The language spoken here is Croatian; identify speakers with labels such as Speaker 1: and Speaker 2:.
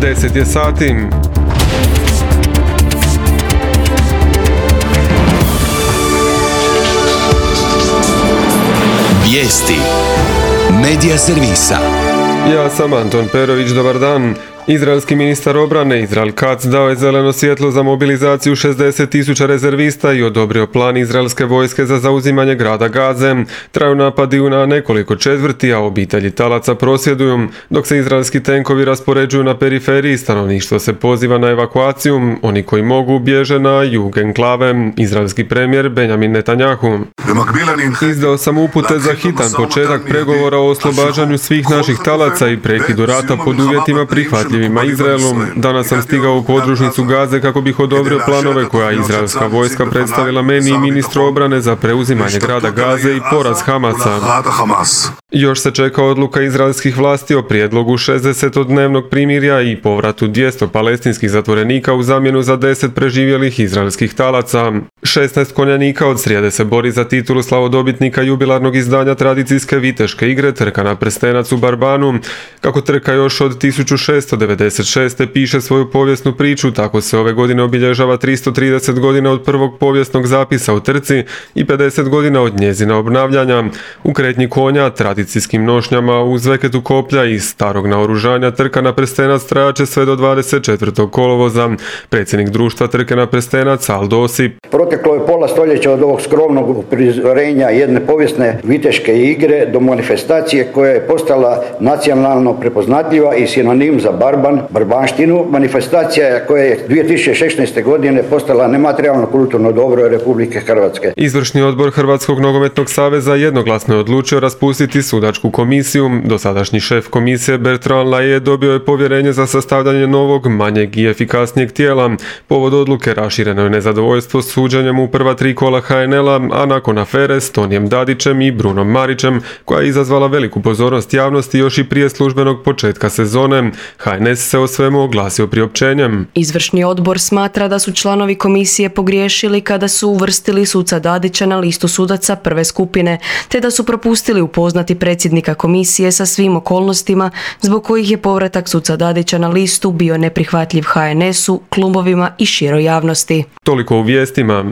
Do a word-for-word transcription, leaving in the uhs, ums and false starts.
Speaker 1: deset je sati.
Speaker 2: Vijesti Medija servisa.
Speaker 1: Ja sam Anton Perović, dobar dan. Izraelski ministar obrane Izrael Katz dao je zeleno svjetlo za mobilizaciju šezdeset tisuća rezervista i odobrio plan izraelske vojske za zauzimanje grada Gaze. Traju napadi na nekoliko četvrti, a obitelji talaca prosvjeduju. Dok se izraelski tenkovi raspoređuju na periferiji, stanovništvo se poziva na evakuaciju. Oni koji mogu bježe na jug enklave. Izraelski premijer Benjamin Netanjahu: Izdao sam upute za hitan početak pregovora o oslobađanju svih naših talaca i prekidu rata pod uvjetima prihvatljivima Izraelu. Danas sam stigao u podružnicu Gaze kako bih odobrio planove koja je izraelska vojska predstavila meni i ministru obrane za preuzimanje grada Gaze i poraz Hamasa. Još se čeka odluka izraelskih vlasti o prijedlogu šezdesetodnevnog primirja i povratu dvjesto palestinskih zatvorenika u zamjenu za deset preživjelih izraelskih talaca. šesnaest konjanika od srijede se bori za titulu slavodobitnika jubilarnog izdanja tradicijske viteške igre Trka na prstenac u Barbanu. Kako trka još od tisuću šessto devedeset šeste piše svoju povijesnu priču, tako se ove godine obilježava tristo trideset godina od prvog povijesnog zapisa u trci i pedeset godina od njezina obnavljanja. U kretnji konja, tradicijskim nošnjama, uz veketu koplja i starog naoružanja Trka na prstenac trajaće sve do dvadeset četvrtog kolovoza. Predsjednik društva Trke na prstenac Aldo Osip:
Speaker 3: Proteklo je pola stoljeća od ovog skromnog uprizorenja jedne povijesne viteške igre do manifestacije koja je postala nacionalno prepoznatljiva i sinonim za barban, barbanštinu. Manifestacija koja je dvije tisuće šesnaeste. godine postala nematerijalno kulturno dobro Republike Hrvatske.
Speaker 1: Izvršni odbor Hrvatskog nogometnog saveza jednoglasno je odlučio raspustiti sudačku komisiju. Dosadašnji šef komisije Bertrand Laje dobio je povjerenje za sastavljanje novog, manjeg i efikasnijeg tijela. Povod odluke rašireno je nezadovoljstvo suđenjem u prva tri kola ha en el-a, a nakon afere s Tonijem Dadićem i Brunom Marićem, koja je izazvala veliku pozornost javnosti još i prije službenog početka sezone. ha en es se o svemu oglasio priopćenjem.
Speaker 4: Izvršni odbor smatra da su članovi komisije pogriješili kada su uvrstili suca Dadića na listu sudaca prve skupine, te da su propustili upoznati predsjednika komisije sa svim okolnostima zbog kojih je povratak suca Dadića na listu bio neprihvatljiv ha en es-u, klubovima i široj javnosti.
Speaker 1: Toliko u vijestima.